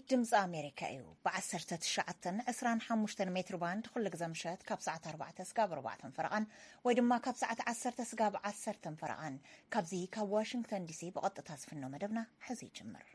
ድምፂ ኣሜሪካ እዩ። ብ19፣ 25 ሜትር ባንድ ኩሉ ግዜ ምሸት ካብ ሰዓት ኣርባዕተ ስጋብ ኣርባዕተን ፈረቓን፣ ወይ ድማ ካብ ሰዓት ዓሰርተ ስጋብ ዓሰርተን ፈረቓን፣ ካብዚ ካብ ዋሽንግተን ዲሲ ብቐጥታ ዝፍኖ መደብና ሕዚ ይጅምር።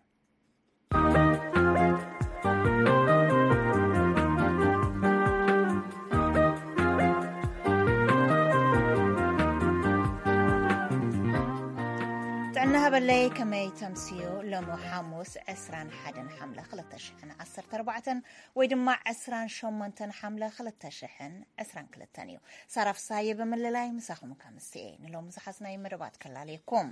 ጥዕና ሃበለይ፣ ከመይ ተምስዮ? ሎሚ ሓሙስ ዕስራን ሓደን ሓምለ ክልተ ሽሕን ዓሰርተ ኣርባዕተን፣ ወይ ድማ ዕስራን ሸሞንተን ሓምለ ክልተ ሽሕን ዕስራን ክልተን እዩ። ሳራ ፍሳየ ብምልላይ ምሳኹም ከምስኤ። ንሎሚ ዝሓዝናይ መደባት ከላለየኩም።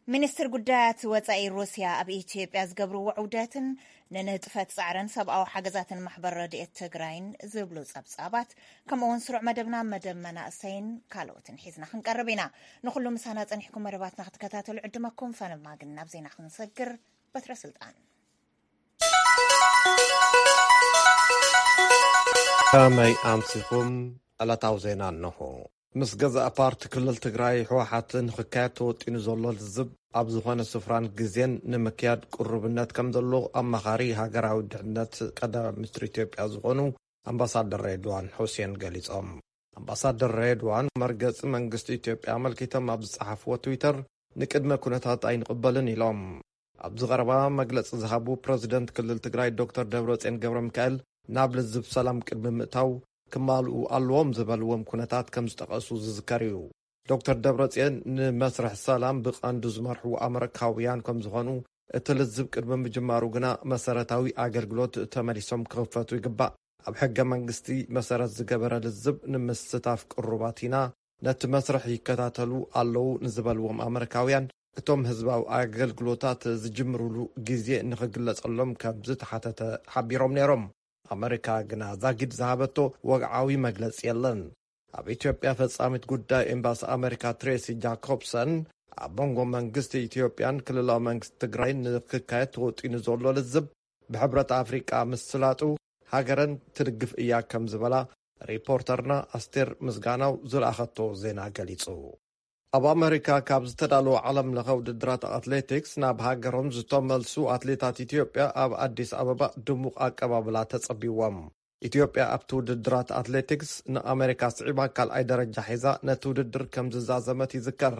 ሚኒስትር ጉዳያት ወጻኢ ሩስያ ኣብ ኢትዮጵያ ዝገብርዎ ዑደትን ንንጥፈት ጻዕርን ሰብኣዊ ሓገዛትን ማሕበር ረድኤት ትግራይን ዝብሉ ጸብጻባት፣ ከምኡ እውን ስሩዕ መደብና መደብ መናእሰይን ካልኦትን ሒዝና ክንቀርብ ኢና። ንኹሉ ምሳና ጸኒሕኩም መደባትና ክትከታተሉ ዕድመኩም ፈነማ። ግን ናብ ዜና ክንሰግር። በትረ ስልጣን። ከመይ ኣምሲኹም? ዕለታዊ ዜና እንሆ። ምስ ገዛእ ፓርቲ ክልል ትግራይ ህወሓት ንክካየድ ተወጢኑ ዘሎ ልዝብ ኣብ ዝኾነ ስፍራን ግዜን ንምክያድ ቅሩብነት ከም ዘሎ ኣማኻሪ ሃገራዊ ድሕነት ቀዳማይ ሚኒስትር ኢትዮጵያ ዝኾኑ ኣምባሳደር ሬድዋን ሑሴን ገሊጾም። ኣምባሳደር ሬድዋን መርገጺ መንግስቲ ኢትዮጵያ ኣመልኪቶም ኣብ ዝጸሓፍዎ ትዊተር፣ ንቅድመ ኩነታት ኣይንቕበልን ኢሎም። ኣብዚ ቀረባ መግለጺ ዝሃቡ ፕረዚደንት ክልል ትግራይ ዶክተር ደብረጽዮን ገብረ ሚካኤል፣ ናብ ልዝብ ሰላም ቅድሚ ምእታው ክማልኡ ኣለዎም ዝበልዎም ኩነታት ከም ዝጠቐሱ ዝዝከር እዩ። ዶክተር ደብረጽዮን ንመስርሕ ሰላም ብቐንዱ ዝመርሑ ኣመሪካውያን ከም ዝኾኑ፣ እቲ ልዝብ ቅድሚ ምጅማሩ ግና መሰረታዊ ኣገልግሎት ተመሊሶም ክኽፈቱ ይግባእ። ኣብ ሕገ መንግስቲ መሰረት ዝገበረ ልዝብ ንምስታፍ ቅሩባት ኢና። ነቲ መስርሕ ይከታተሉ ኣለዉ ንዝበልዎም ኣመሪካውያን፣ እቶም ህዝባዊ ኣገልግሎታት ዝጅምሩሉ ግዜ ንኽግለጸሎም ከም ዝተሓተተ ሓቢሮም ነይሮም። ኣመሪካ ግና ዛጊድ ዝሃበቶ ወግዓዊ መግለጺ የለን። ኣብ ኢትዮጵያ ፈጻሚት ጉዳይ ኤምባሲ ኣመሪካ ትሬሲ ጃኮብሰን፣ ኣብ መንጎ መንግስቲ ኢትዮጵያን ክልላዊ መንግስቲ ትግራይን ንክካየድ ተወጢኑ ዘሎ ልዝብ ብሕብረት ኣፍሪቃ ምስላጡ፣ ሃገረን ትድግፍ እያ ከም ዝበላ ሪፖርተርና ኣስቴር ምስጋናው ዝለኣኸቶ ዜና ገሊጹ። ኣብ ኣመሪካ ካብ ዝተዳለወ ዓለም ለኸ ውድድራት ኣትሌቲክስ ናብ ሃገሮም ዝተመልሱ ኣትሌታት ኢትዮጵያ ኣብ ኣዲስ ኣበባ ድሙቕ ኣቀባብላ ተጸቢዎም። ኢትዮጵያ ኣብቲ ውድድራት ኣትሌቲክስ ንኣመሪካ ስዒባ ካልኣይ ደረጃ ሒዛ ነቲ ውድድር ከም ዝዛዘመት ይዝከር።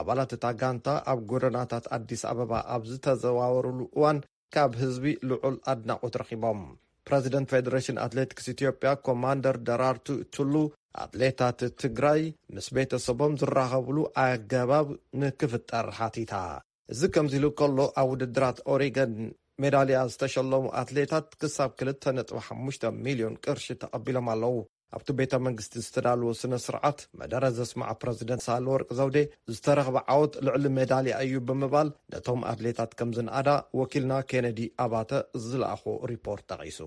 ኣባላት እታ ጋንታ ኣብ ጎደናታት ኣዲስ ኣበባ ኣብ ዝተዘዋወሩሉ እዋን ካብ ህዝቢ ልዑል ኣድናቖት ረኺቦም። ፕረዚደንት ፌደሬሽን ኣትሌቲክስ ኢትዮጵያ ኮማንደር ደራርቱ ቱሉ፣ ኣትሌታት ትግራይ ምስ ቤተሰቦም ዝራኸብሉ ኣገባብ ንክፍጠር ሓቲታ። እዚ ከምዚ ኢሉ ከሎ፣ ኣብ ውድድራት ኦሪገን ሜዳልያ ዝተሸለሙ ኣትሌታት ክሳብ ክልተ ነጥቢ ሓሙሽተ ሚልዮን ቅርሺ ተቐቢሎም ኣለዉ። ኣብቲ ቤተ መንግስቲ ዝተዳለወ ስነ ስርዓት መደረ ዘስማዕ ፕረዚደንት ሳህለወርቅ ዘውዴ፣ ዝተረኽበ ዓወት ልዕሊ ሜዳልያ እዩ ብምባል፣ ነቶም ኣትሌታት ከም ዝንኣዳ ወኪልና ኬነዲ ኣባተ ዝለኣኾ ሪፖርት ጠቒሱ።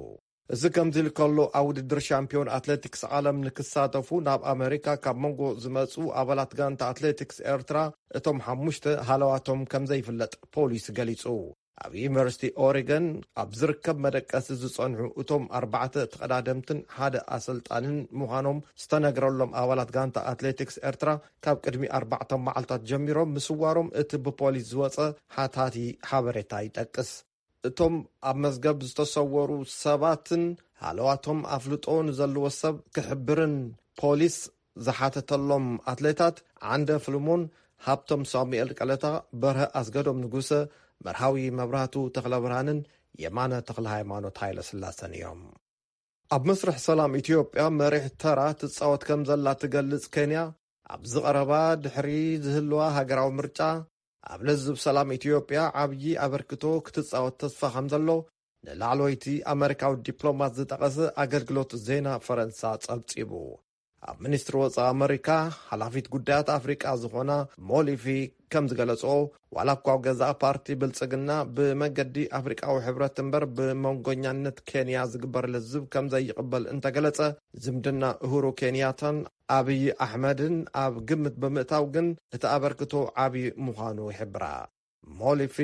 እዚ ከምዚ ኢሉ ከሎ፣ ኣብ ውድድር ሻምፒዮን ኣትሌቲክስ ዓለም ንክሳተፉ ናብ ኣመሪካ ካብ መንጎ ዝመጹ ኣባላት ጋንታ ኣትሌቲክስ ኤርትራ፣ እቶም ሓሙሽተ ሃለዋቶም ከም ዘይፍለጥ ፖሊስ ገሊጹ። ኣብ ዩኒቨርሲቲ ኦሪገን ኣብ ዝርከብ መደቀሲ ዝጸንሑ እቶም ኣርባዕተ ተቐዳደምትን ሓደ ኣሰልጣንን ምዃኖም ዝተነግረሎም ኣባላት ጋንታ ኣትሌቲክስ ኤርትራ፣ ካብ ቅድሚ ኣርባዕተ መዓልታት ጀሚሮም ምስዋሮም እቲ ብፖሊስ ዝወጸ ሓታቲ ሓበሬታ ይጠቅስ። እቶም ኣብ መዝገብ ዝተሰወሩ ሰባትን ሃለዋቶም ኣፍልጦ ንዘለዎ ሰብ ክሕብርን ፖሊስ ዝሓተተሎም ኣትሌታት ዓንደ ፍልሞን፣ ሃብቶም ሳሙኤል ቀለታ፣ በርሀ ኣስገዶም ንጉሰ፣ መርሃዊ መብራህቱ ተኽለብርሃንን የማነ ተኽለ ሃይማኖት ሃይለ ስላሰን እዮም። ኣብ መስርሕ ሰላም ኢትዮጵያ መሪሕ ተራ ትጻወት ከም ዘላ ትገልጽ ኬንያ፣ ኣብዚ ቀረባ ድሕሪ ዝህልዋ ሃገራዊ ምርጫ፣ ኣብ ለዝብ ሰላም ኢትዮጵያ ዓብዪ ኣበርክቶ ክትጻወት ተስፋ ከም ዘሎ ንላዕለወይቲ ኣመሪካዊ ዲፕሎማት ዝጠቐሰ ኣገልግሎት ዜና ፈረንሳ ጸብጺቡ። ኣብ ሚኒስትሪ ወጻኢ ኣመሪካ ሓላፊት ጉዳያት ኣፍሪቃ ዝኾና ሞሊፊ ከም ዝገለጾ፣ ዋላ እኳ ኣብ ገዛእ ፓርቲ ብልጽግና ብመገዲ ኣፍሪቃዊ ሕብረት እምበር ብመንጎኛነት ኬንያ ዝግበር ልዝብ ከም ዘይቕበል እንተገለጸ፣ ዝምድና እሁሩ ኬንያታን ኣብይ ኣሕመድን ኣብ ግምት ብምእታው ግን እቲ ኣበርክቶ ዓቢ ምዃኑ ይሕብራ። ሞሊፊ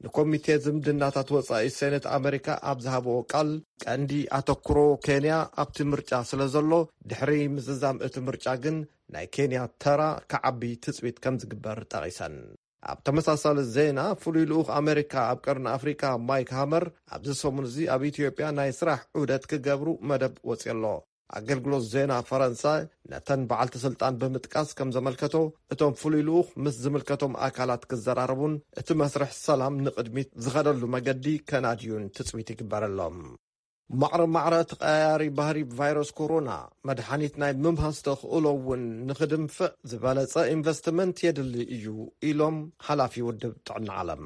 ንኮሚቴ ዝምድናታት ወጻኢ ሴኔት ኣመሪካ ኣብ ዝሃብዎ ቃል፣ ቀንዲ ኣተኩሮ ኬንያ ኣብቲ ምርጫ ስለ ዘሎ፣ ድሕሪ ምዝዛም እቲ ምርጫ ግን ናይ ኬንያ ተራ ክዓቢ ትጽቢት ከም ዝግበር ጠቒሰን። ኣብ ተመሳሳሊ ዜና፣ ፍሉይ ልኡኽ ኣሜሪካ ኣብ ቀርኒ ኣፍሪካ ማይክ ሃመር ኣብዚ ሰሙን እዚ ኣብ ኢትዮጵያ ናይ ስራሕ ዑደት ክገብሩ መደብ ወፅዩ ኣሎ። ኣገልግሎት ዜና ፈረንሳ ነተን በዓልቲ ስልጣን ብምጥቃስ ከም ዘመልከቶ፣ እቶም ፍሉይ ልኡኽ ምስ ዝምልከቶም ኣካላት ክዘራረቡን እቲ መስርሕ ሰላም ንቕድሚት ዝኸደሉ መገዲ ከናድዩን ትጽቢት ይግበረሎም። ማዕረ ማዕረ ተቐያያሪ ባህሪ ቫይረስ ኮሮና፣ መድሓኒት ናይ ምምሃዝ ተኽእሎ እውን ንኽድንፍዕ ዝበለጸ ኢንቨስትመንት የድሊ እዩ ኢሎም ሓላፊ ውድብ ጥዕና ዓለም።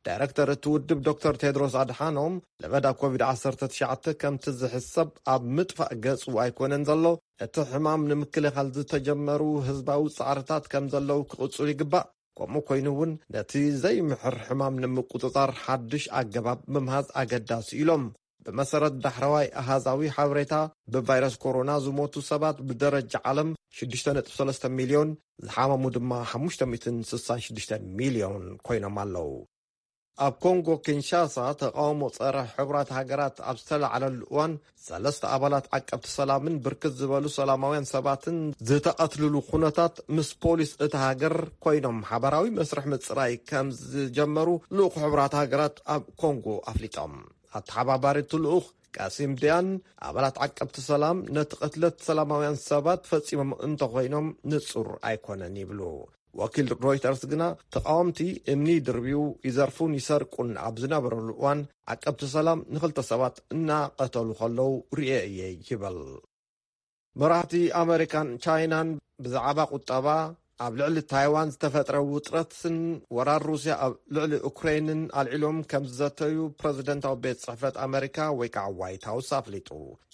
ዳይረክተር እቲ ውድብ ዶክተር ቴድሮስ ኣድሓኖም፣ ለበዳ ኮቪድ ዓሰርተ ትሽዓተ ከምቲ ዝሕሰብ ኣብ ምጥፋእ ገጹ ኣይኮነን ዘሎ፣ እቲ ሕማም ንምክልኻል ዝተጀመሩ ህዝባዊ ጻዕርታት ከም ዘለዉ ክቕጽሉ ይግባእ። ከምኡ ኮይኑ እውን ነቲ ዘይምሕር ሕማም ንምቁጽጻር ሓድሽ ኣገባብ ምምሃዝ ኣገዳሲ ኢሎም። ብመሰረት ዳሕረዋይ ኣሃዛዊ ሓበሬታ፣ ብቫይረስ ኮሮና ዝሞቱ ሰባት ብደረጃ ዓለም ሽዱሽተ ነጥቢ ሰለስተ ሚልዮን፣ ዝሓመሙ ድማ ሓሙሽተ ሚእትን ስሳን ሽዱሽተ ሚልዮን ኮይኖም ኣለዉ። ኣብ ኮንጎ ኪንሻሳ ተቃውሞ ጸረ ሕቡራት ሃገራት ኣብ ዝተላዕለሉ እዋን፣ ሰለስተ ኣባላት ዓቀብቲ ሰላምን ብርክት ዝበሉ ሰላማውያን ሰባትን ዝተቐትልሉ ኩነታት፣ ምስ ፖሊስ እታ ሃገር ኮይኖም ሓባራዊ መስርሕ ምጽራይ ከም ዝጀመሩ ልኡኽ ሕቡራት ሃገራት ኣብ ኮንጎ ኣፍሊጦም። ኣተሓባባሪ እቲ ልኡኽ ቀሲም ዲያን፣ ኣባላት ዓቀብቲ ሰላም ነቲ ቅትለት ሰላማውያን ሰባት ፈጺሞም እንተኾይኖም ንጹር ኣይኮነን ይብሉ። ወኪል ሮይተርስ ግና፣ ተቓወምቲ እምኒ ድርብዩ ይዘርፉን ይሰርቁን ኣብ ዝነበረሉ እዋን፣ ዓቀብቲ ሰላም ንኽልተ ሰባት እናቐተሉ ከለዉ ርእየ እየ ይብል። መራሕቲ ኣመሪካን ቻይናን ብዛዕባ ቁጠባ፣ ኣብ ልዕሊ ታይዋን ዝተፈጥረ ውጥረትን ወራር ሩስያ ኣብ ልዕሊ ኡክሬንን ኣልዒሎም ከም ዝዘተዩ ፕረዚደንታዊ ቤት ጽሕፈት ኣመሪካ ወይ ከዓ ዋይት ሃውስ ኣፍሊጡ።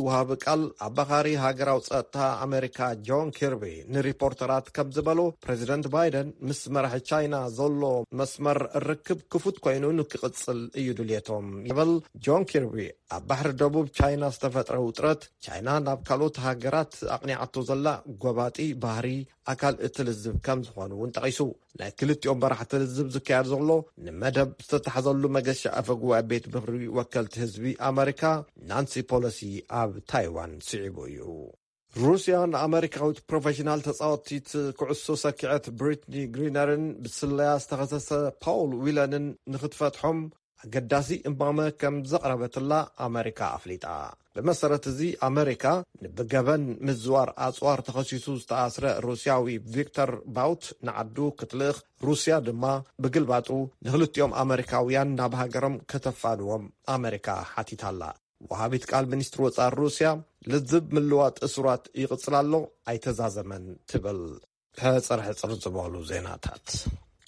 ወሃቢ ቃል ኣባኻሪ ሃገራዊ ጸጥታ ኣመሪካ ጆን ኪርቢ ንሪፖርተራት ከም ዝበሎ፣ ፕረዚደንት ባይደን ምስ መራሒ ቻይና ዘሎ መስመር ርክብ ክፉት ኮይኑ ንክቕጽል እዩ ድልየቶም ይብል ጆን ኪርቢ። ኣብ ባሕሪ ደቡብ ቻይና ዝተፈጥረ ውጥረት፣ ቻይና ናብ ካልኦት ሃገራት ኣቕኒዓቶ ዘላ ጎባጢ ባህሪ ኣካል እቲ ልዝብ ከም ዝኾኑ እውን ጠቒሱ። ናይ ክልቲኦም መራሕቲ ልዝብ ዝካየድ ዘሎ፣ ንመደብ ዝተታሕዘሉ መገሻ ኣፈ ጉባኤ ቤት ምኽሪ ወከልቲ ህዝቢ ኣመሪካ ናንሲ ፖሎሲ ኣብ ታይዋን ስዒቡ እዩ። ሩስያ ንኣመሪካዊት ፕሮፌሽናል ተጻወቲት ኩዕሶ ሰኪዐት ብሪትኒ ግሪነርን ብስለያ ዝተኸሰሰ ፓውል ዊለንን ንኽትፈትሖም ኣገዳሲ እማመ ከም ዘቕረበትላ ኣመሪካ ኣፍሊጣ። ብመሰረት እዚ፣ ኣመሪካ ንብገበን ምዝዋር ኣጽዋር ተኸሲሱ ዝተኣስረ ሩስያዊ ቪክተር ባውት ንዓዱ ክትልእኽ፣ ሩስያ ድማ ብግልባጡ ንኽልቲኦም ኣመሪካውያን ናብ ሃገሮም ከተፋንዎም ኣመሪካ ሓቲታላ። ወሃቢት ቃል ሚኒስትሪ ወጻኢ ሩስያ፣ ልዝብ ምልዋጥ እሱራት ይቕጽል ኣሎ፣ ኣይተዛዘመን ትብል። ሕጽር ሕጽር ዝበሉ ዜናታት።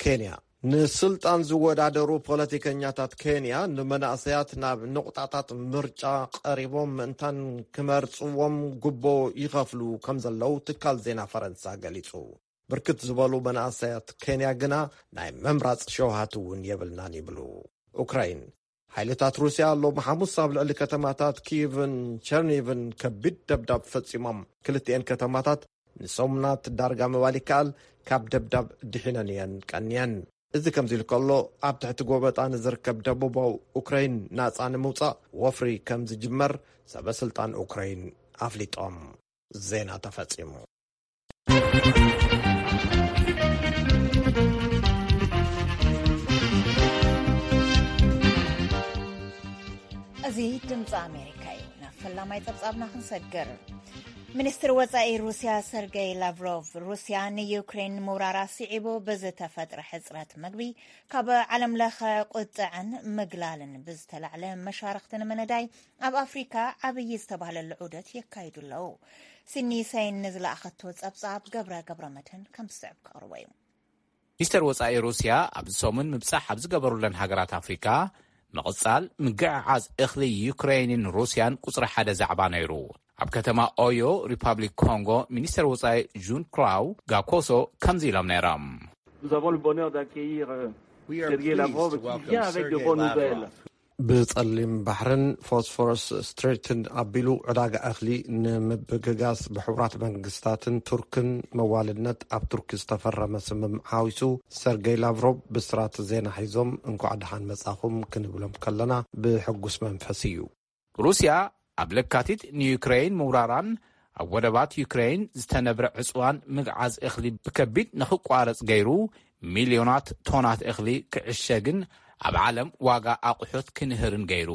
ኬንያ። ንስልጣን ዝወዳደሩ ፖለቲከኛታት ኬንያ ንመናእሰያት ናብ ንቑጣታት ምርጫ ቀሪቦም ምእንታን ክመርጽዎም ጉቦ ይኸፍሉ ከም ዘለዉ ትካል ዜና ፈረንሳ ገሊጹ። ብርክት ዝበሉ መናእሰያት ኬንያ ግና ናይ ምምራጽ ሸውሃት እውን የብልናን ይብሉ። ኡክራይን። ሓይልታት ሩስያ ሎም ሓሙስ ኣብ ልዕሊ ከተማታት ኪቭን ቸርኒቭን ከቢድ ደብዳብ ፈጺሞም። ክልቲኤን ከተማታት ንሰሙናት ዳርጋ ምባል ይከኣል ካብ ደብዳብ ድሒነን እየን ቀንየን። እዚ ከምዚ ኢሉ ከሎ፣ ኣብ ትሕቲ ጎበጣ ንዝርከብ ደቡባዊ ኡክራይን ናጻ ንምውጻእ ወፍሪ ከም ዝጅመር ሰበ ስልጣን ኡክራይን ኣፍሊጦም። ዜና ተፈጺሙ። እዚ ድምፂ ኣሜሪካ እዩ። ናብ ፈላማይ ፀብፃብና ክንሰግር፣ ሚኒስትር ወፃኢ ሩስያ ሰርገይ ላቭሮቭ፣ ሩስያ ንዩክሬን ምውራራ ስዒቡ ብዝተፈጥረ ሕፅረት ምግቢ ካብ ዓለም ለኸ ቁጥዐን ምግላልን ብዝተላዕለ መሻርኽቲ ንምንዳይ ኣብ ኣፍሪካ ዓብዪ ዝተባህለሉ ዑደት የካይዱ ኣለዉ። ሲኒ ሰይን ንዝለኣኸቶ ጸብጻብ ገብረ ገብረ መድህን ከም ዝስዕብ ከቕርቦ እዩ። ሚኒስተር ወጻኢ ሩስያ ኣብዚ ሰሙን ምብጻሕ ኣብ ዝገበሩለን ሃገራት ኣፍሪካ፣ ምቕጻል ምግዕዓዝ እኽሊ ዩክሬንን ሩስያን ቁጽሪ ሓደ ዛዕባ ነይሩ። ኣብ ከተማ ኦዮ፣ ሪፓብሊክ ኮንጎ፣ ሚኒስተር ወጻኢ ጁን ክላው ጋኮሶ ከምዚ ኢሎም ነይሮም። ብጸሊም ባሕርን ፎስፎረስ ስትሬትን ኣቢሉ ዕዳጋ እኽሊ ንምብግጋስ ብሕቡራት መንግስታትን ቱርክን መዋልነት ኣብ ቱርኪ ዝተፈረመ ስምምዕ ሓዊሱ ሰርገይ ላቭሮቭ ብስራት ዜና ሒዞም እንኳዕ ደሓን መጻኹም ክንብሎም ከለና ብሕጉስ መንፈስ እዩ። ሩስያ ኣብ ለካቲት ንዩክረይን ምውራራን ኣብ ወደባት ዩክረይን ዝተነብረ ዕጽዋን ምግዓዝ እኽሊ ብከቢድ ንኽቋረጽ ገይሩ ሚልዮናት ቶናት እኽሊ ክዕሸግን ኣብ ዓለም ዋጋ ኣቑሑት ክንህርን ገይሩ።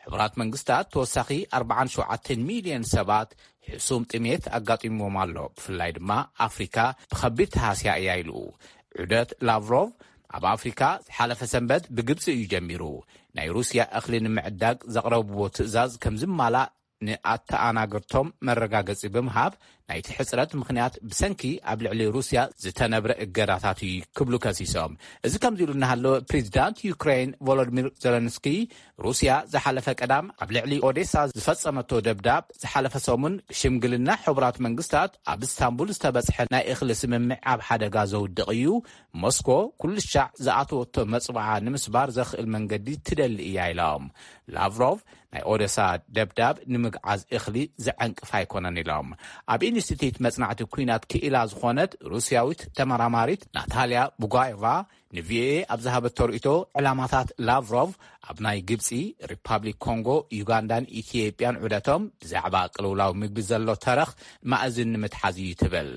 ሕቡራት መንግስታት ተወሳኺ ኣርባዓን ሸውዓተን ሚልዮን ሰባት ሕሱም ጥሜት ኣጋጢምዎም ኣሎ። ብፍላይ ድማ ኣፍሪካ ብኸቢድ ተሃስያ እያ ኢሉ። ዑደት ላቭሮቭ ኣብ ኣፍሪካ ዝሓለፈ ሰንበት ብግብፂ እዩ ጀሚሩ። ናይ ሩስያ እኽሊ ንምዕዳግ ዘቕረብዎ ትእዛዝ ከም ዝማላእ ንኣተኣናገድቶም መረጋገፂ ብምሃብ፣ ናይቲ ሕፅረት ምኽንያት ብሰንኪ ኣብ ልዕሊ ሩስያ ዝተነብረ እገዳታት እዩ ክብሉ ከሲሶም። እዚ ከምዚ ኢሉ እናሃለወ፣ ፕሬዚዳንት ዩክሬን ቮሎዲሚር ዘለንስኪ ሩስያ ዝሓለፈ ቀዳም ኣብ ልዕሊ ኦዴሳ ዝፈጸመቶ ደብዳብ ዝሓለፈ ሰሙን ብሽምግልና ሕቡራት መንግስታት ኣብ እስታንቡል ዝተበጽሐ ናይ እኽሊ ስምምዕ ኣብ ሓደጋ ዘውድቕ እዩ። ሞስኮ ኩሉ ሻዕ ዝኣተወቶ መጽብዓ ንምስባር ዘኽእል መንገዲ ትደሊ እያ ኢሎም። ላቭሮቭ ናይ ኦደሳ ደብዳብ ንምግዓዝ እኽሊ ዘዐንቅፍ ኣይኮነን ኢሎም። ኣብ ኢንስቲትዩት መጽናዕቲ ኲናት ክኢላ ዝኾነት ሩስያዊት ተመራማሪት ናታልያ ቡጋዮቫ ንቪኦኤ ኣብ ዝሃበቶ ርእይቶ፣ ዕላማታት ላቭሮቭ ኣብ ናይ ግብጺ፣ ሪፓብሊክ ኮንጎ፣ ዩጋንዳን ኢትዮጵያን ዑደቶም ብዛዕባ ቅልውላው ምግቢ ዘሎ ተረኽ ማእዝን ንምትሓዝ እዩ ትብል።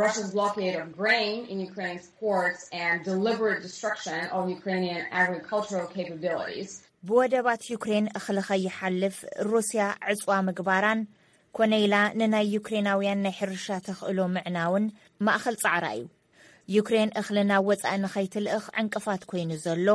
Russia's blockade of grain in Ukraine's ports and deliberate destruction of Ukrainian agricultural capabilities. ብወደባት ዩክሬን እኽሊ ከይሓልፍ ሩስያ ዕጽዋ ምግባራን ኮነ ኢላ ንናይ ዩክሬናውያን ናይ ሕርሻ ተኽእሎ ምዕናውን ማእኸል ጻዕራ እዩ። ዩክሬን እኽሊ ናብ ወጻኢ ንኸይትልእኽ ዕንቅፋት ኮይኑ ዘሎ፣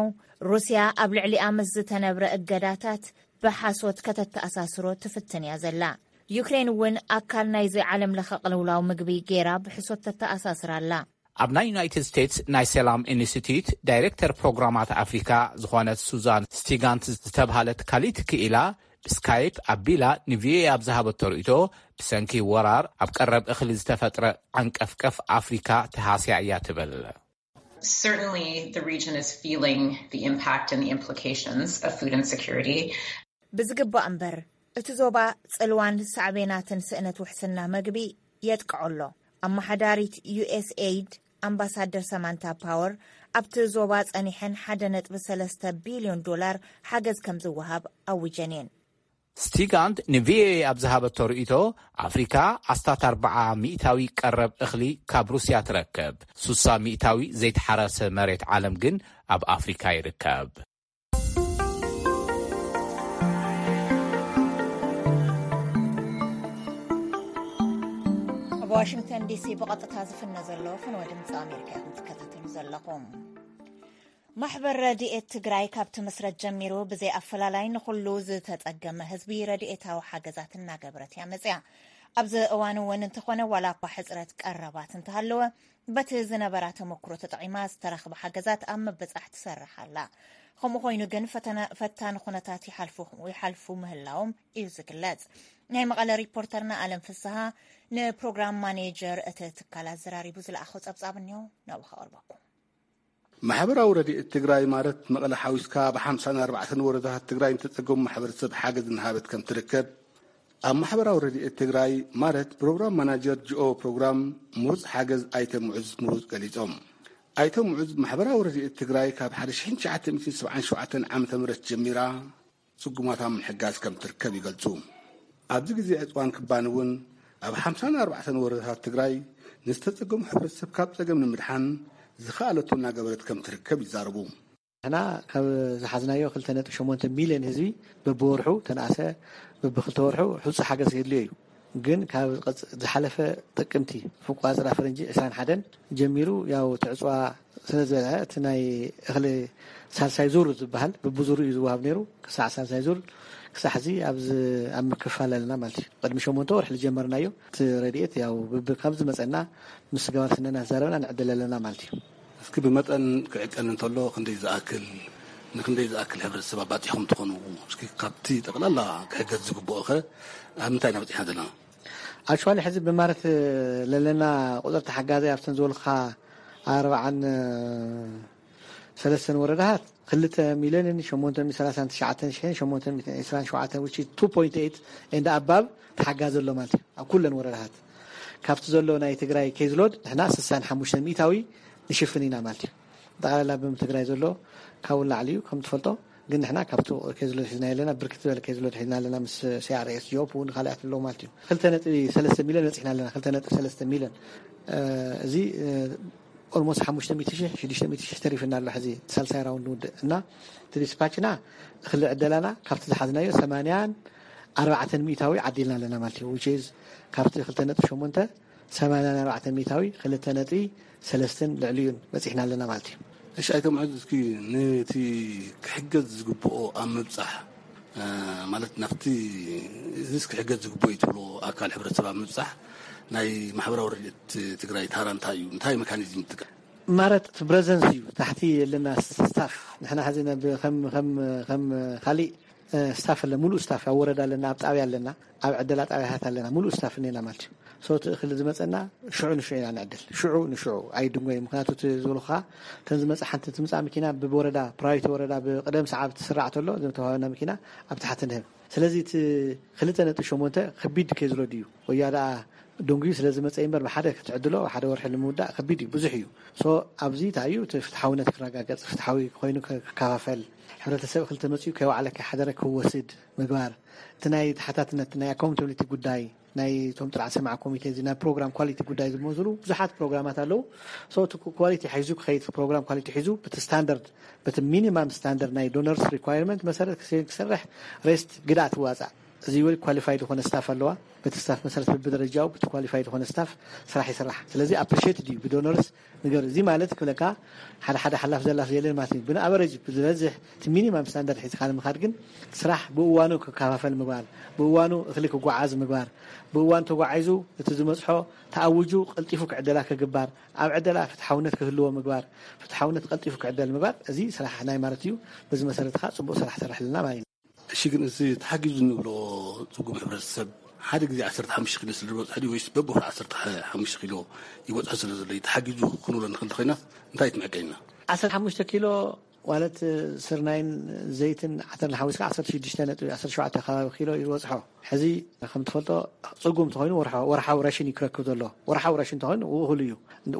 ሩስያ ኣብ ልዕሊኣ ምስ ዝተነብረ እገዳታት ብሓሶት ከተተኣሳስሮ ትፍትን እያ ዘላ። ዩክሬን እውን ኣካል ናይዚ ዓለም ለኸ ቅልውላው ምግቢ ጌራ ብሕሶት ተተኣሳስር ኣላ። ኣብ ናይ ዩናይትድ ስቴትስ ናይ ሰላም ኢንስቲትዩት ዳይሬክተር ፕሮግራማት ኣፍሪካ ዝኾነት ሱዛን ስቲጋንት ዝተብሃለት ካሊት ክኢላ ብስካይፕ ኣቢላ ንቪኦኤ ኣብ ዝሃበቶ ርእይቶ፣ ብሰንኪ ወራር ኣብ ቀረብ እኽሊ ዝተፈጥረ ዓንቀፍቀፍ ኣፍሪካ ተሃስያ እያ ትብል። Certainly, the region is feeling the impact and the implications of food insecurity. ብዝግባእ እምበር፣ እቲ ዞባ ጽልዋን ሳዕቤናትን ስእነት ውሕስና መግቢ የጥቅዖ ኣሎ። ኣመሓዳሪት ዩኤስኤይድ ኣምባሳደር ሰማንታ ፓወር ኣብቲ ዞባ ጸኒሐን ሓደ ነጥቢ ሰለስተ ቢልዮን ዶላር ሓገዝ ከም ዝወሃብ ኣዊጀን እየን። ስቲጋንት ንቪኦኤ ኣብ ዝሃበቶ ርእይቶ፣ ኣፍሪካ ኣስታት ኣርብዓ ሚእታዊ ቀረብ እኽሊ ካብ ሩስያ ትረክብ፣ ሱሳ ሚእታዊ ዘይተሓረሰ መሬት ዓለም ግን ኣብ ኣፍሪካ ይርከብ። ኣብ ዋሽንግተን ዲሲ ብቐጥታ ዝፍነ ዘሎ ፍንወ ድምፂ ኣሜሪካ ኢኹም ትከታተሉ ዘለኹም። ማሕበር ረድኤት ትግራይ ካብ ትምስረት ጀሚሩ ብዘይ ኣፈላላይ ንኹሉ ዝተጸገመ ህዝቢ ረድኤታዊ ሓገዛት እናገበረት እያ መጽያ። ኣብዚ እዋን እውን እንተኾነ ዋላ እኳ ሕጽረት ቀረባት እንተሃለወ በቲ ዝነበራ ተመክሮ ተጠቒማ ዝተረኽበ ሓገዛት ኣብ ምብጻሕ ትሰርሕ ኣላ። ከምኡ ኮይኑ ግን ፈተና ፈታኒ ኩነታት ይሓልፉ ይሓልፉ ምህላዎም እዩ ዝግለጽ። ናይ መቐለ ሪፖርተርና ኣለም ፍስሃ ንፕሮግራም ማኔጀር እቲ ትካል ኣዘራሪቡ ዝለኣኾ ጸብጻብ እኒኦ ናብኡ ከቕርበኩም። ማሕበራዊ ረድኤት ትግራይ ማለት መቐለ ሓዊስካ ኣብ ሓምሳን ኣርባዕተን ወረዳታት ትግራይ ንተፀገሙ ማሕበረሰብ ሓገዝ እናሃበት ከም ትርከብ ኣብ ማሕበራዊ ረድኤት ትግራይ ማለት ፕሮግራም ማናጀር ጂኦ ፕሮግራም ምሩፅ ሓገዝ ኣይተ ሙዕዝ ምሩፅ ገሊፆም። ኣይተ ሙዕዝ ማሕበራዊ ረድኤት ትግራይ ካብ ሓደ ሽሕን ትሽዓተ ሚእትን ሰብዓን ሸውዓተን ዓመተ ምህረት ጀሚራ ፅጉማት ኣብ ምሕጋዝ ከም ትርከብ ይገልፁ። ኣብዚ ግዜ ዕፅዋን ክባን እውን ኣብ ሓምሳን ኣርባዕተን ወረዳታት ትግራይ ንዝተፀገሙ ሕብረተሰብ ካብ ፀገም ንምድሓን ዝኸኣለቶ እናገበረት ከም ትርከብ ይዛረቡ። ንሕና ካብ ዝሓዝናዮ ክልተ ነጥቢ ሸሞንተ ሚልዮን ህዝቢ በብወርሑ ተነኣሰ በብክልተ ወርሑ ሕፁ ሓገዝ የድልዮ እዩ። ግን ካብ ዝሓለፈ ጥቅምቲ ፍቋፅራ ፈረንጂ ዕስራን ሓደን ጀሚሩ ያው ትዕፅዋ ስለ ዝበልዐ እቲ ናይ እኽሊ ሳልሳይ ዙር ዝበሃል ብብዙሩ እዩ ዝወሃብ ነይሩ። ክሳዕ ሳልሳይ ዙር ክሳዕ ሕዚ ኣብዚ ኣብ ምክፋል ኣለና ማለት እዩ። ቅድሚ ሸሞንተ ወርሒ ዝጀመርናዮ እቲ ረድኤት ያው ብብ- ካብ ዝመፀና ምስ ገባር ስነና ተዛረብና ንዕድል ኣለና ማለት እዩ። እስኪ ብመጠን ክዕቀን እንተሎ ክንደይ ዝኣክል ንክንደይ ዝኣክል ሕብረተሰብ ኣባፂኹም ትኾኑ? እስኪ ካብቲ ጠቕላላ ክሕገዝ ዝግብኦ ኸ ኣብ ምንታይ ኢና በፂሕና ዘለና? ኣክቹዋሊ ሕዚ ብማረት ለለና ቁፅሪ ተሓጋዛይ ኣብተን ዝበልካ ኣርባዓን ሰለስተን ወረዳታት ክልተ ሚልዮንን ሸሞንተ ሚእትን ሰላሳን ትሽዓተን ሽሕን ሸሞንተ ሚእትን ዕስራን ሸውዓተን which is two point eight and above ተሓጋዚ ኣሎ ማለት እዩ ኣብ ኩለን ወረዳታት። ካብቲ ዘሎ ናይ ትግራይ ኬዝሎድ ንሕና ስሳን ሓሙሽተ ሚእታዊ ንሽፍን ኢና ማለት እዩ። ጠቕላላ ብም ትግራይ ዘሎ ካብኡ ንላዕሊ እዩ ከም ትፈልጦ። ግን ንሕና ካብቲ ኬዝሎድ ሒዝና ኣለና ብርክት ዝበለ ኬዝሎድ ሒዝና ኣለና ምስ ሲኣርኤስ ጆፕ እውን ካልኣት ኣለዉ ማለት እዩ። ክልተ ነጥቢ ሰለስተ ሚልዮን በፂሕና ኣለና። ክልተ ነጥቢ ሰለስተ ሚልዮን እዚ ኦልሞስት ሓሙሽተ ሚእቲ ሺሕ ሽዱሽተ ሚእቲ ሺሕ ተሪፍና ኣሎ። ሕዚ ሳልሳይ ራውንድ ንውድእ እና እቲ ዲስፓችና እኽሊ ዕደላና ካብቲ ዝሓዝናዮ ሰማንያን ኣርባዕተን ሚእታዊ ዓዲልና ኣለና ማለት እዩ። Which is ካብቲ ክልተ ነጥቢ ሸሞንተ ሰማንያን ኣርባዕተን ሚእታዊ ክልተ ነጥቢ ሰለስተን ልዕሊኡን በፂሕና ኣለና ማለት እዩ። እሺ ኣይተ ምዑዝ፣ እስኪ ነቲ ክሕገዝ ዝግብኦ ኣብ ምብፃሕ ማለት ናብቲ እዚስ ክሕገዝ ዝግብኦ እዩ ትብሎ ኣካል ሕብረተሰብ ኣብ ምብፃሕ ናይ ማሕበራዊ ረድኤት ትግራይ ታራ እንታይ እዩ? እንታይ ሜካኒዝም ይጥቀም? ማለት እቲ ብረዘንስ እዩ። ታሕቲ ኣለና ስታፍ ንሕና ሕዚ ነብ- ከም ከም ከም ካሊእ ስታፍ ኣለ፣ ሙሉእ ስታፍ ኣብ ወረዳ ኣለና፣ ኣብ ጣብያ ኣለና፣ ኣብ ዕደላ ጣብያታት ኣለና፣ ሙሉእ ስታፍ እኔና ማለት እዩ። So እቲ እኽሊ ዝመፀና ሽዑ ንሽዑ ኢና ንዕድል፣ ሽዑ ንሽዑ ኣይድንጎ እዩ። ምክንያቱ እቲ ዝበልኩኻ ከም ዝመፀ ሓንቲ ትምፃእ መኪና ብወረዳ ፕራዮሪቲ ወረዳ ብቅደም ሰዓብ ትስራዕ ተሎ እዞም ተዋህበና መኪና ኣብ ታሕቲ ንህብ። ስለዚ እቲ ክልተ ነጥቢ ሸሞንተ ከቢድ ከይዝሎ ድዩ ወያ ደኣ ደንጉዩ ስለ ዝመፀ እምበር ብሓደ ክትዕድሎ ሓደ ወርሒ ንምውዳእ ከቢድ እዩ፣ ብዙሕ እዩ። So ኣብዚ እንታይ እዩ እቲ ፍትሓውነት ክረጋገፅ፣ ፍትሓዊ ኮይኑ ክከፋፈል፣ ሕብረተሰብ ክልተ መፅኡ ከይዋዕለ ከይሓደረ ክወስድ ምግባር፣ እቲ ናይ ተሓታትነት ናይ ኣካውንታብሊቲ ጉዳይ ናይ እቶም ጥራሕ ሰማዕ ኮሚቴ እዚ ናይ ፕሮግራም ኳሊቲ ጉዳይ ዝመዝሉ ብዙሓት ፕሮግራማት ኣለዉ። So እቲ ኳሊቲ ሒዙ ክኸይድ ፕሮግራም ኳሊቲ ሒዙ በቲ ስታንዳርድ በቲ ሚኒማም ስታንዳርድ ናይ ዶነርስ ሪኳየርመንት መሰረት ክሰርሕ ሬስት ግድኣት ይዋፃእ። እዚ ወይ ኳሊፋይድ ዝኾነ ስታፍ ኣለዋ። በቲ ስታፍ መሰረት በብደረጃው በቲ ኳሊፋይድ ዝኾነ ስታፍ ስራሕ ይስራሕ። ስለዚ ኣፕሪሼት ድዩ ብዶነርስ ንገር። እዚ ማለት ክብለካ ሓደ ሓደ ሓላፍ ዘላፍ የለን ማለት እዩ። ብንኣቨረጅ ብዝበዝሕ እቲ ሚኒማም ስታንዳርድ ሒዝካ ንምኻድ ግን ስራሕ ብእዋኑ ክከፋፈል ምግባር፣ ብእዋኑ እኽሊ ክጓዓዝ ምግባር፣ ብእዋኑ ተጓዒዙ እቲ ዝመፅሖ ተኣውጁ ቀልጢፉ ክዕደላ ክግባር፣ ኣብ ዕደላ ፍትሓውነት ክህልዎ ምግባር፣ ፍትሓውነት ቀልጢፉ ክዕደል ምግባር፣ እዚ ስራሕ ናይ ማለት እዩ። በዚ መሰረት ከዓ ፅቡቅ ስራሕ ይሰርሕ ኣለና ማለት እዩ። እሺ ግን እዚ ተሓጊዙ እንብሎ ፅጉም ሕብረተሰብ ሓደ ግዜ ዓሰርተ ሓሙሽተ ኪሎ ስለ ዝበፅሖ ድዩ ወይስ በብወርሒ ዓሰርተ ሓሙሽተ ኪሎ ይበፅሖ ስለ ዘሎ እዩ ተሓጊዙ ክንብሎ ንኽእል ኮይናስ እንታይ ትምዕቀይና? ዓሰርተ ሓሙሽተ ኪሎ ማለት ስርናይን ዘይትን ዓተርን ሓዊስካ ዓሰርተ ሽዱሽተ ነጥቢ ዓሰርተ ሸውዓተ ከባቢ ኪሎ እዩ ዝበፅሖ። ሕዚ ከም ትፈልጦ ፅጉም እንተኾይኑ ወርሓዊ ራሽን እዩ ክረክብ ዘሎ። ወርሓዊ ራሽን እንተኾይኑ እኹል እዩ።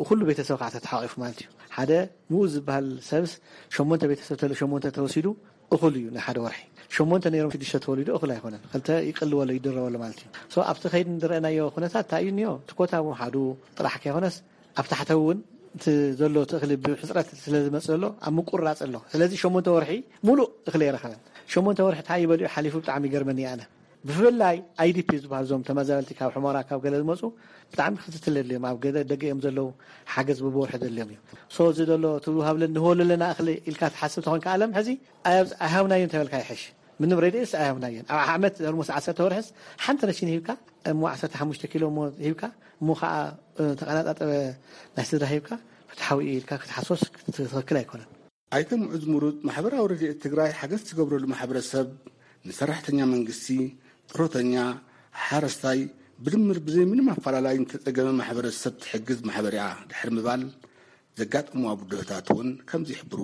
ኩሉ ቤተሰብ ከዓ ተተሓቂፉ ማለት እዩ። ሓደ ምኡ ዝበሃል ሰብስ ሸሞንተ ቤተሰብ ተለ ሸሞንተ ተወሲዱ እኹል እዩ ንሓደ ወርሒ። ሸሞንተ ነይሮም ሽዱሽተ ተወሊዱ እኹል ኣይኮነን። ክልተ ይቅልወሎ ይድረበሎ ማለት እዩ። So ኣብቲ ከይዲ ንዝረአናዮ ኩነታት እንታይ እዩ እኒኦ? እቲ ኮታ ምውሓዱ ጥራሕ ከይኮነስ ኣብ ታሕተዊ እውን እቲ ዘሎ እቲ እኽሊ ብሕፅረት ስለ ዝመፅእ ዘሎ ኣብ ምቁርራፅ ኣሎ። ስለዚ ሸሞንተ ወርሒ ሙሉእ እኽሊ ኣይረኸበን። ሸሞንተ ወርሒ እንታይ ይበልዑ ሓሊፉ ብጣዕሚ ይገርመኒ ኣነ። ብፍላይ ኣይዲፒ ዝበሃሉ እዞም ተመዛበልቲ ካብ ሕሞራ ካብ ገለ ዝመፁ ብጣዕሚ ክትትል የድልዮም። ኣብ ገለ ደገ እዮም ዘለዉ ሓገዝ ብብወርሒ ዘድልዮም እዩ። So እዚ ዘሎ እቲ ሃብለን ንህበሉ ኣለና እኽሊ ኢልካ ትሓስብ ተኾንካ ኣለም ሕዚ ኣይሃብናዮን ተበልካ ይሕሽ። ምንም ረድኤትስ ኣይሃብናዮን። ኣብ ዓመት ኦልሞስት ዓሰርተ ወርሕስ ሓንቲ ረሽን ሂብካ እሞ ዓሰርተ ሓሙሽተ ኪሎ እሞ ሂብካ እሞ ከዓ ተቀናጣጠበ ናይ ስድራ ሂብካ ፍትሓዊ እዩ ኢልካ ክትሓስቦስ ትክክል ኣይኮነን። ኣይተ ምዑዝ ምሩፅ ማሕበራዊ ረድኤት ትግራይ ሓገዝ ትገብረሉ ማሕበረሰብ ንሰራሕተኛ መንግስቲ፣ ጥሮተኛ፣ ሓረስታይ ብድምር ብዘይ ምንም ኣፈላላይ ንተፀገመ ማሕበረሰብ ትሕግዝ ማሕበር እያ ድሕሪ ምባል ዘጋጠምዋ ብድሆታት እውን ከምዚ ይሕብሩ።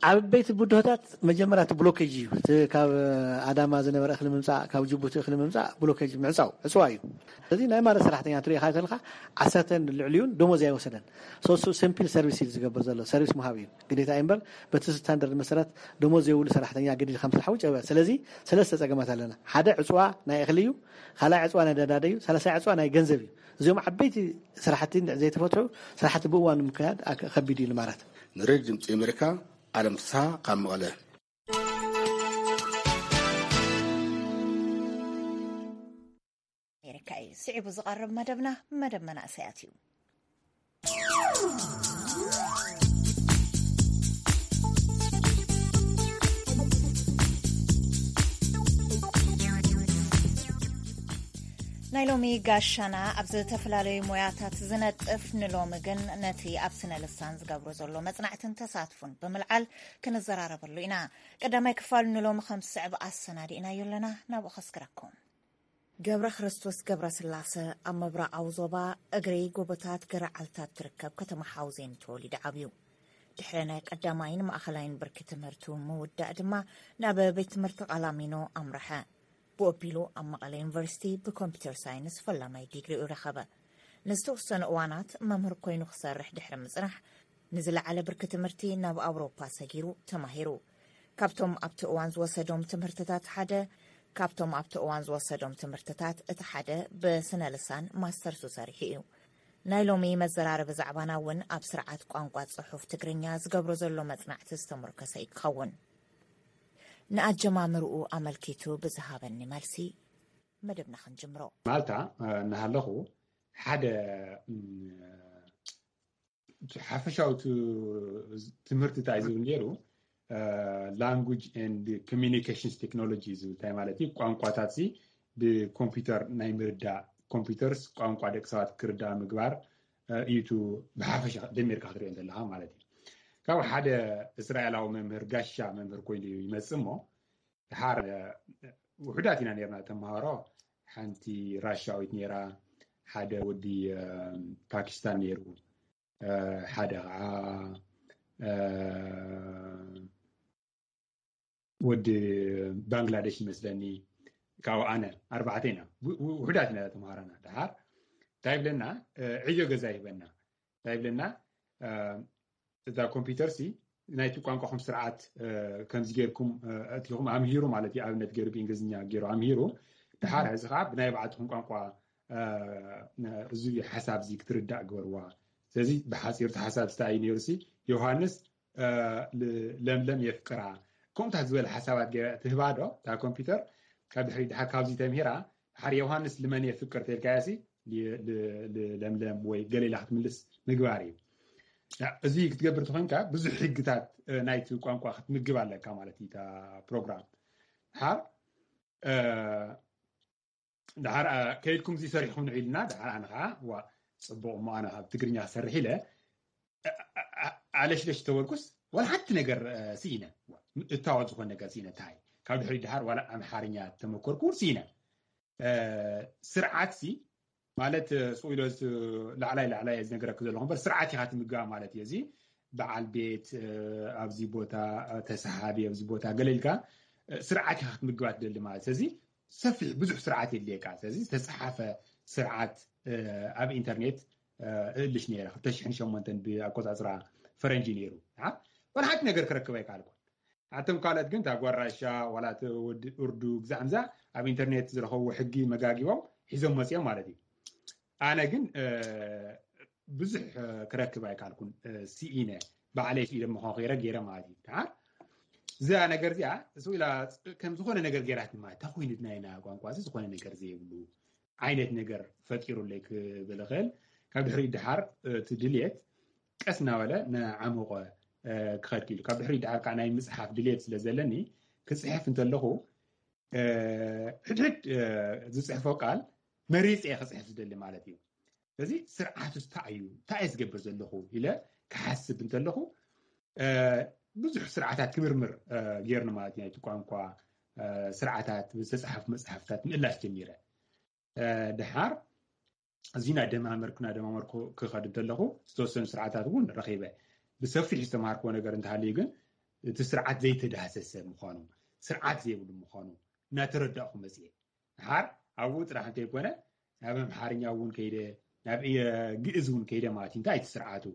ዓበይቲ ብድሆታት መጀመርያ እቲ ብሎኬጅ እዩ። እቲ ካብ ኣዳማ ዝነበረ እኽሊ ምምፃእ፣ ካብ ጅቡቲ እኽሊ ምምፃእ ብሎኬጅ ምዕፃው፣ ዕፅዋ እዩ። ስለዚ ናይ ማረት ሰራሕተኛ ትሪኢኻ ተለካ ዓሰርተን ልዕሊኡን ደሞዝ ኣይወሰደን። ሶሱ ሲምፕል ሰርቪስ እዩ ዝገብር ዘሎ፣ ሰርቪስ ምሃብ እዩ ግዴታ እዩ እምበር በቲ ስታንዳርድ መሰረት ደሞዝ ዘይብሉ ሰራሕተኛ ግዲ ከም ስራሕ ውጭ ኣይበል። ስለዚ ሰለስተ ፀገማት ኣለና። ሓደ ዕፅዋ ናይ እኽሊ እዩ፣ ካልኣይ ዕፅዋ ናይ ነዳዲ እዩ፣ ሳልሳይ ዕፅዋ ናይ ገንዘብ እዩ። እዚኦም ዓበይቲ ስራሕቲ ዘይተፈትሑ ስራሕቲ ብእዋኑ ምክያድ ከቢድ እዩ ንማረት። ንሬድዮ ድምፂ ኣሜሪካ ኣለም ፍስሃ ካብ መቐለ። ኣሜሪካ እዩ። ስዒቡ ዝቐርብ መደብና መደብ መናእሰያት እዩ። ናይ ሎሚ ጋሻና ኣብ ዝተፈላለዩ ሞያታት ዝነጥፍ፣ ንሎሚ ግን ነቲ ኣብ ስነ ልሳን ዝገብሮ ዘሎ መጽናዕትን ተሳትፉን ብምልዓል ክንዘራረበሉ ኢና። ቀዳማይ ክፋል ንሎሚ ከም ዝስዕብ ኣሰናዲእናዮ ኣለና፣ ናብኡ ከስግረኩም። ገብረ ክርስቶስ ገብረ ስላሰ ኣብ ምብራቓዊ ዞባ እግሪ ጎቦታት ገረዓልታ እትርከብ ከተማ ሓውዜን ተወሊዱ ዓብዩ። ድሕሪ ናይ ቀዳማይን ማእኸላይን ብርኪ ትምህርቱ ምውዳእ ድማ ናብ ቤት ትምህርቲ ቃላሚኖ ኣምርሐ። ብኡ ኣቢሉ ኣብ መቐለ ዩኒቨርሲቲ ብኮምፒተር ሳይንስ ፈላማይ ዲግሪኡ ረኸበ። ንዝተወሰኑ እዋናት መምህር ኮይኑ ክሰርሕ ድሕሪ ምጽናሕ፣ ንዝለዓለ ብርኪ ትምህርቲ ናብ ኣውሮፓ ሰጊሩ ተማሂሩ። ካብቶም ኣብቲ እዋን ዝወሰዶም ትምህርትታት ሓደ ካብቶም ኣብቲ እዋን ዝወሰዶም ትምህርትታት እቲ ሓደ ብስነ ልሳን ማስተርሱ ሰሪሑ እዩ። ናይ ሎሚ መዘራረቢ ዛዕባና እውን ኣብ ስርዓት ቋንቋ ጽሑፍ ትግርኛ ዝገብሮ ዘሎ መጽናዕቲ ዝተሞርከሰ እዩ ክኸውን። ንኣጀማምርኡ ኣመልኪቱ ብዝሃበኒ መልሲ መደብና ክንጅምሮ። ማልታ እናሃለኹ ሓደ ሓፈሻዊ ትምህርቲ እንታይ ዝብል ነይሩ? Language and Communications Technology ዝብል እንታይ ማለት እዩ? ቋንቋታት ሲ ብኮምፒውተር ናይ ምርዳእ፣ ኮምፒውተርስ ቋንቋ ደቂ ሰባት ክርዳእ ምግባር እዩ። ብሓፈሻ ደሚርካ ክትሪኦ እንተለካ ማለት እዩ። ካብ ሓደ እስራኤላዊ መምህር፣ ጋሻ መምህር ኮይኑ ይመጽእ እሞ፣ ድሓር ውሑዳት ኢና ነርና ተምሃሮ። ሓንቲ ራሻዊት ነራ፣ ሓደ ወዲ ፓኪስታን ነሩ፣ ሓደ ከዓ ወዲ ባንግላደሽ ይመስለኒ። ካብኡ ኣነ፣ ኣርባዕተ ኢና። ውሑዳት ኢና ተምሃራና። ድሓር እንታይ ይብለና? ዕዮ ገዛ ይህበና። እንታይ ይብለና? እዛ ኮምፒውተር ሲ ናይቲ ቋንቋኹም ስርዓት ከምዚ ጌርኩም እቲኹም ኣምሂሩ ማለት እዩ። ኣብነት ገይሩ ብእንግሊዝኛ ገይሩ ኣምሂሩ፣ ድሓር ሕዚ ከዓ ብናይ ባዕልትኹም ቋንቋ እዚ ሓሳብ እዚ ክትርዳእ ግበርዋ። ስለዚ ብሓፂሩ እቲ ሓሳብ ስታይ ነይሩ ሲ ዮሃንስ ለምለም የፍቅራ፣ ከምታት ዝበለ ሓሳባት ገይራ ትህባ ዶ እታ ኮምፒውተር? ካብ ድሕሪ ድሓር ካብዚ ተምሂራ ድሓር ዮሃንስ ልመን የፍቅር ተልካያ ሲ ለምለም ወይ ገሌላ ክትምልስ ምግባር እዩ። እዚ ክትገብር ተኮይንካ ብዙሕ ሕግታት ናይቲ ቋንቋ ክትምግብ ኣለካ ማለት እዩ። እታ ፕሮግራም ድሓር ድሓር ከይድኩም እዚ ሰሪሕኩም ንዑ ኢልና፣ ድሓር ኣነ ከዓ ዋ ፅቡቅ እሞ ኣነ ካብ ትግርኛ ክሰርሕ ኢለ ኣለሽለሽ ተበልኩስ፣ ዋላ ሓንቲ ነገር ስኢነ። እታወት ዝኾነ ነገር ስኢነ። እንታይ ካብ ድሕሪ ድሓር ዋላ ኣምሓርኛ ተመኮርኩ ስኢነ። ስርዓት ሲ ማለት ስቕ ኢሎ ላዕላይ ላዕላይ ዝነገረክ ዘለኹ እምበር፣ ስርዓት ኢኻ ትምግባ ማለት እዩ። እዚ በዓል ቤት ኣብዚ ቦታ፣ ተሰሓቢ ኣብዚ ቦታ ገለ ኢልካ ስርዓት ኢኻ ክትምግባ ትደሊ ማለት። ስለዚ ሰፊሕ ብዙሕ ስርዓት የድልየካ። ስለዚ ዝተፀሓፈ ስርዓት ኣብ ኢንተርኔት እእልሽ ነይረ። ክልተ ሽሕን ሸሞንተን ብኣቆፃፅራ ፈረንጂ ነይሩ። ዋላ ሓንቲ ነገር ክረክብ ኣይከኣልኩን። ኣቶም ካልኦት ግን እታ ጓራሻ ዋላ እቲ ወዲ እርዱ ግዛዕምዛ ኣብ ኢንተርኔት ዝረኸብዎ ሕጊ መጋጊቦም ሒዞም መፅኦም ማለት እዩ። ኣነ ግን ብዙሕ ክረክብ ኣይከኣልኩን። ስኢነ ባዕለይ ስኢነ ምዃን ከይረ ገይረ ማለት እዩ። ድሓር እዛ ነገር እዚኣ ስቕ ኢላ ከም ዝኾነ ነገር ገይራት ማለት ተኮይኑ ናይና ቋንቋ እዚ ዝኾነ ነገር ዘይብሉ ዓይነት ነገር ፈጢሩለይ ክብል እኽእል። ካብ ድሕሪ ድሓር እቲ ድልየት ቀስ እናበለ ንዓሞቐ ክኸድ ክኢሉ። ካብ ድሕሪ ድሓር ከዓ ናይ ምፅሓፍ ድልየት ስለ ዘለኒ ክፅሕፍ እንተለኹ ሕድሕድ ዝፅሕፎ ቃል መሪፀ ክፅሕፍ ዝደሊ ማለት እዩ። ስለዚ ስርዓት እንታይ እዩ፣ እንታይ እየ ዝገብር ዘለኹ ኢለ ክሓስብ እንተለኹ ብዙሕ ስርዓታት ክምርምር ገይርኒ ማለት እዩ። ናይቲ ቋንቋ ስርዓታት ዝተፅሓፉ መፅሓፍታት ምእላሽ ጀሚረ። ድሓር እዚ ናደማመርኩ ናደማመርኩ ክኸድ እንተለኹ ዝተወሰኑ ስርዓታት እውን ረኺበ። ብሰፊሕ ዝተምሃርክዎ ነገር እንተሃልዩ ግን እቲ ስርዓት ዘይተዳህሰሰ ምዃኑ፣ ስርዓት ዘይብሉ ምዃኑ እናተረዳእኩ መፅየ። ድሓር ኣብኡ ጥራሕ እንተይኮነ ናብ ኣምሓርኛ እውን ከይደ፣ ናብ ግእዝ እውን ከይደ ማለት እዩ። እንታይ እቲ ስርዓቱ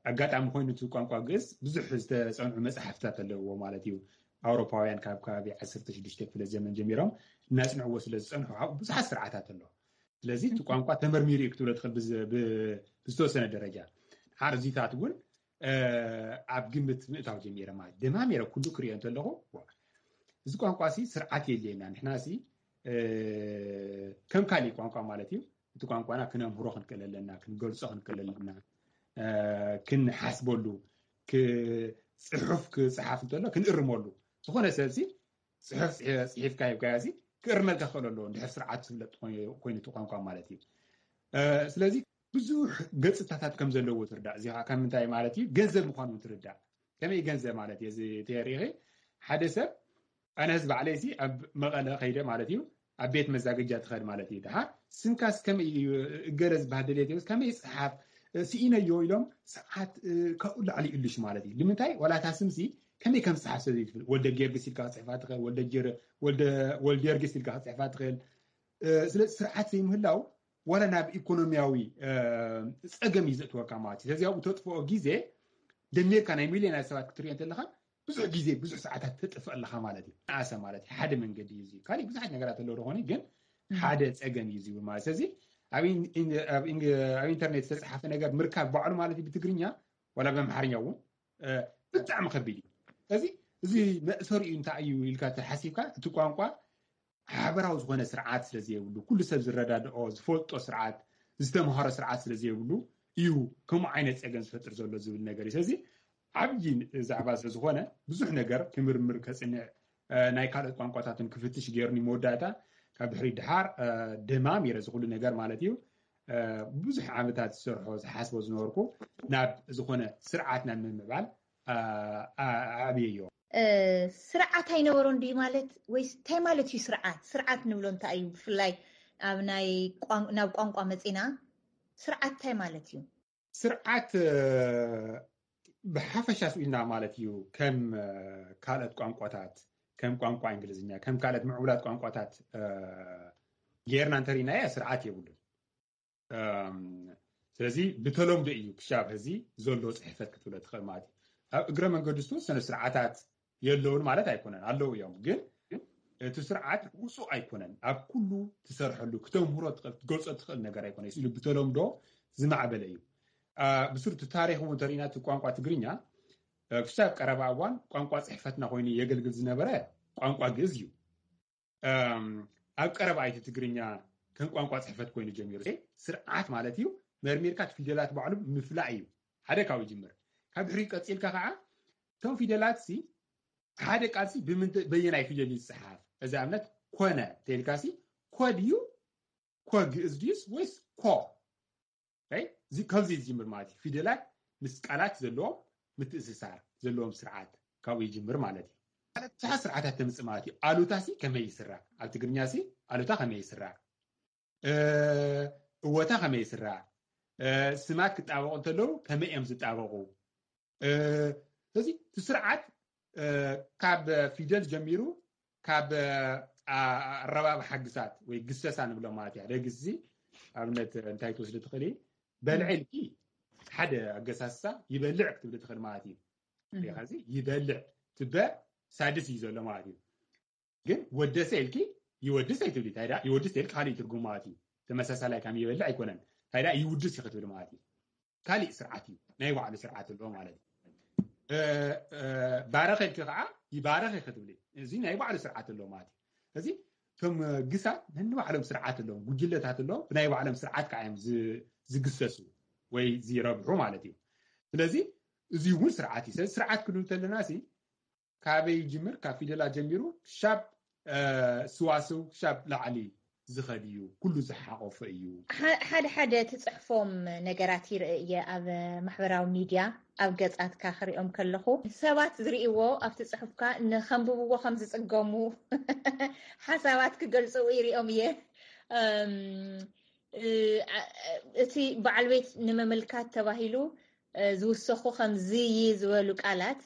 ኣጋጣሚ ኮይኑ እቲ ቋንቋ ግእዝ ብዙሕ ዝተፀንዑ መፅሓፍታት ኣለዎ ማለት እዩ። ኣውሮፓውያን ካብ ከባቢ ዓሰርተ ሽዱሽተ ክፍለ ዘመን ጀሚሮም እናፅንዕዎ ስለ ዝፀንሑ ካብኡ ብዙሓት ስርዓታት ኣሎ። ስለዚ እቲ ቋንቋ ተመርሚሩ እዩ ክትብሎ ትኽእል ብዝተወሰነ ደረጃ። ድሓር እዚታት እውን ኣብ ግምት ምእታው ጀሚረ ማለት ደማሚረ ኩሉ ክሪኦ እንተለኹ እዚ ቋንቋ ሲ ስርዓት የድልየና። ንሕና ሲ ከም ካሊእ ቋንቋ ማለት እዩ። እቲ ቋንቋና ክነምህሮ ክንክእል ኣለና፣ ክንገልጾ ክንክእል ኣለና፣ ክንሓስበሉ፣ ጽሑፍ ክጽሓፍ እንተሎ ክንእርመሉ። ዝኾነ ሰብ ሲ ጽሑፍ ጽሒፍካ ሂብካዮ ሲ ክእርመልካ ክኽእል ኣለዎ፣ እንድሕር ስርዓት ዝፍለጥ ኮይኑ እቲ ቋንቋ ማለት እዩ። ስለዚ ብዙሕ ገጽታታት ከም ዘለዎ ትርዳእ። እዚ ካብ ምንታይ ማለት እዩ? ገንዘብ ምዃኑ ትርዳእ። ከመይ ገንዘብ ማለት እዩ? እዚ ተሪኺ ሓደ ሰብ ኣነ ህዝቢ ዓለይሲ ኣብ መቐለ ከይደ ማለት እዩ ኣብ ቤት መዛገጃ ትኸድ ማለት እዩ። ድሓር ስንካስ ከመይ እዩ እገለ ዝበሃል ደልየት የብስ ከመይ ይፅሓፍ ስኢነዮ ኢሎም ሰዓት ካብኡ ላዕሊ ይእልሽ ማለት እዩ። ንምንታይ ዋላ እታ ስምሲ ከመይ ከም ዝፅሓፍ ሰብ ዘይትብል ወልደ ጊዮርጊስ ኢልካ ክፅሕፋ ትኽእል፣ ወልደ ጊዮርጊስ ኢልካ ክፅሕፋ ትኽእል። ስለዚ ስርዓት ዘይምህላው ዋላ ናብ ኢኮኖሚያዊ ፀገም እዩ ዘእትወካ ማለት እዩ። ስለዚ ኣብኡ ተጥፍኦ ግዜ ደሚርካ ናይ ሚልዮናት ሰባት ክትሪኦ እንተለካ ብዙሕ ግዜ ብዙሕ ሰዓታት ተጥፍእ ኣለካ ማለት እዩ። ንኣሰ ማለት እዩ ሓደ መንገዲ እዩ። ካሊእ ብዙሓት ነገራት ኣለዉ ዝኾነ ግን ሓደ ፀገም እዩ ዝብል ማለት ስለዚ ኣብ ኢንተርኔት ዝተፅሓፈ ነገር ምርካብ ባዕሉ ማለት እዩ ብትግርኛ ዋላ ብኣምሓርኛ እውን ብጣዕሚ ከቢድ እዩ። ስለዚ እዚ መእሰሪኡ እንታይ እዩ ኢልካ ተሓሲብካ እቲ ቋንቋ ሓበራዊ ዝኾነ ስርዓት ስለዘየብሉ፣ ኩሉ ሰብ ዝረዳድኦ ዝፈልጦ ስርዓት ዝተምሃሮ ስርዓት ስለዘየብሉ እዩ ከምኡ ዓይነት ፀገም ዝፈጥር ዘሎ ዝብል ነገር እዩ። ስለዚ ዓብዪ ዛዕባ ስለዝኾነ ብዙሕ ነገር ክምርምር ከፅንዕ ናይ ካልኦት ቋንቋታትን ክፍትሽ ገይሩኒ መወዳእታ ካብ ድሕሪ ድሓር ደማም ይረ ዝኩሉ ነገር ማለት እዩ። ብዙሕ ዓመታት ዝሰርሖ ዝሓስቦ ዝነበርኩ ናብ ዝኾነ ስርዓት ናብ ምምዕባል ኣብየዮ። ስርዓት ኣይነበሮን ድዩ ማለት ወይስ እንታይ ማለት እዩ ስርዓት? ስርዓት ንብሎ እንታይ እዩ? ብፍላይ ኣብ ናይ ናብ ቋንቋ መፂና ስርዓት እንታይ ማለት እዩ? ስርዓት ብሓፈሻ ስኢልና ማለት እዩ ከም ካልኦት ቋንቋታት ከም ቋንቋ እንግሊዝኛ ከም ካልኦት ምዕቡላት ቋንቋታት ጌርና እንተሪእናዮ ስርዓት የብሉን። ስለዚ ብተለምዶ እዩ ክሻብ ሕዚ ዘሎ ፅሕፈት ክትብሎ ትኽእል ማለት እዩ። ኣብ እግረ መንገዱ ዝተወሰነ ስርዓታት የለውን ማለት ኣይኮነን፣ ኣለዉ እዮም። ግን እቲ ስርዓት ውፁእ ኣይኮነን። ኣብ ኩሉ ትሰርሐሉ ክተምህሮ ክትገልፆ ትኽእል ነገር ኣይኮነ ኢሉ ብተለምዶ ዝማዕበለ እዩ። ብስሩ እቲ ታሪክ እውን እንተሪእና እቲ ቋንቋ ትግርኛ ክሻብ ቀረባ እዋን ቋንቋ ፅሕፈትና ኮይኑ የገልግል ዝነበረ ቋንቋ ግእዝ እዩ። ኣብ ቀረባ እቲ ትግርኛ ከም ቋንቋ ፅሕፈት ኮይኑ ጀሚሩ ስርዓት ማለት እዩ። መርሚርካ እቲ ፊደላት ባዕሉ ምፍላእ እዩ። ሓደ ካብኡ ይጅምር። ካብ ድሕሪ ቀፂልካ ከዓ እቶም ፊደላት ሲ ሓደ ቃል ሲ በየናይ ፊደል ይፅሓፍ? እዚ ኣብነት ኮነ ተልካ ሲ ኮ ድዩ ኮ ግእዝ ድዩስ ወይስ ኮ? ከዚ ዝጅምር ማለት እዩ። ፊደላት ምስ ቃላት ዘለዎም ምትእስሳር ዘለዎም ስርዓት ካብኡ ይጅምር ማለት እዩ። ብዙሓት ስርዓታት ተምፅእ ማለት እዩ። ኣሉታ ሲ ከመይ ይስራዕ? ኣብ ትግርኛ ሲ ኣሉታ ከመይ ይስራዕ? እወታ ከመይ ይስራዕ? ስማት ክጣበቁ እንተለዉ ከመይ እዮም ዝጣበቁ? ስለዚ እቲ ስርዓት ካብ ፊደል ጀሚሩ ካብ ኣረባብ ሓግሳት ወይ ግሰሳ ንብሎ ማለት እዩ። ሓደ ግዚ ኣብነት እንታይ ትወስድ ትኽእል በልዐ ኢልኪ ሓደ ኣገሳስሳ ይበልዕ ክትብል ትኽእል ማለት እዩ። ዚ ይበልዕ ትበ ሳድስ እዩ ዘሎ ማለት እዩ። ግን ወደሰ ኢልኪ ይወድስ ኣይትብሊ። ይወድስ ኢልኪ ካልእ ትርጉም ማለት እዩ። ተመሳሳላይ ከም ይበልዕ ኣይኮነን። እንታይ ይውድስ እዩ ክትብል ማለት እዩ። ካሊእ ስርዓት እዩ። ናይ ባዕሉ ስርዓት ኣለዎ ማለት እዩ። ባረኸ ኢልኪ ከዓ ይባረኸ ክትብሊ። እዚ ናይ ባዕሉ ስርዓት ኣለዎ ማለት እዩ። እዚ እቶም ግሳት ነንባዕሎም ስርዓት ኣለዎም፣ ጉጅለታት ኣለዎም፣ ብናይ ባዕሎም ስርዓት ከዓ እዮም ዝግሰሱ ወይ ዝረብሑ ማለት እዩ። ስለዚ እዚ እውን ስርዓት እዩ። ስለዚ ስርዓት ክንብል ከለና ሲ ካበይ ይጅምር? ካብ ፊደላት ጀሚሩ ክሻብ ስዋስው ክሻብ ላዕሊ ዝኸድ እዩ፣ ኩሉ ዝሓቆፈ እዩ። ሓደ ሓደ ትፅሕፎም ነገራት ይርኢ እየ ኣብ ማሕበራዊ ሚድያ ኣብ ገፃትካ ክሪኦም ከለኹ ሰባት ዝርእይዎ ኣብቲ ፅሑፍካ ንከንብብዎ ከም ዝፅገሙ ሓሳባት ክገልፅው ይሪኦም እየ። እቲ በዓል ቤት ንምምልካት ተባሂሉ ዝውሰኹ ከም ዝይ ዝበሉ ቃላት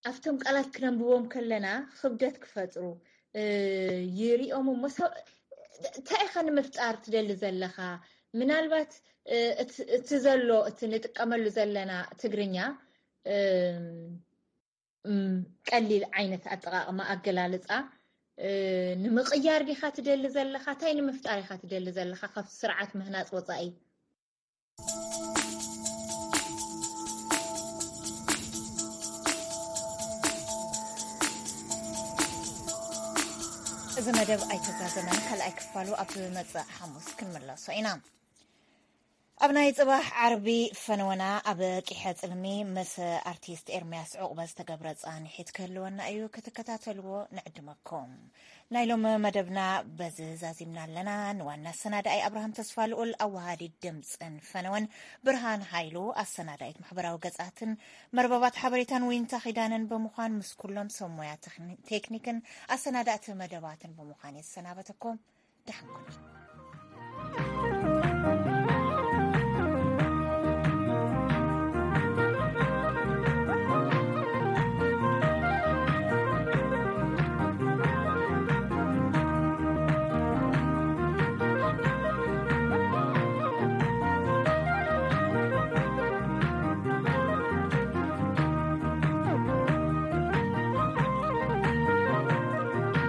ኣብቶም ቃላት ክነንብቦም ከለና ክብደት ክፈጥሩ ይሪኦም እሞ እንታይ ኢኻ ንምፍጣር ትደሊ ዘለኻ? ምናልባት እቲ ዘሎ እቲ ንጥቀመሉ ዘለና ትግርኛ ቀሊል ዓይነት ኣጠቃቅማ ኣገላልፃ ንምቅያር ዲኻ ትደሊ ዘለኻ? እንታይ ንምፍጣር ኢኻ ትደሊ ዘለኻ ካብቲ ስርዓት ምህናፅ ወፃኢ? እዚ መደብ ኣይተዛዘመን ካልኣይ ክፋሉ ኣብ ዝመፅእ ሓሙስ ክንምለሶ ኢና። ኣብ ናይ ፅባሕ ዓርቢ ፈነወና ኣብ ቂሐ ፅልሚ ምስ ኣርቲስት ኤርምያስ ዕቑበ ዝተገብረ ፃንሒት ክህልወና እዩ። ክትከታተልዎ ንዕድመኩም። ናይ ሎሚ መደብና በዚ ዛዚምና ኣለና። ንዋና ኣሰናዳኣይ ኣብርሃም ተስፋ ልኡል፣ ኣወሃዲት ድምፅን ፈነወን ብርሃን ሃይሉ፣ ኣሰናዳኢት ማሕበራዊ ገፃትን መርበባት ሓበሬታን ዊንታ ኪዳነን ብምዃን ምስ ኩሎም ሰብ ሞያ ቴክኒክን ኣሰናዳእቲ መደባትን ብምዃን የሰናበተኩም። ደሓን ኩኑ።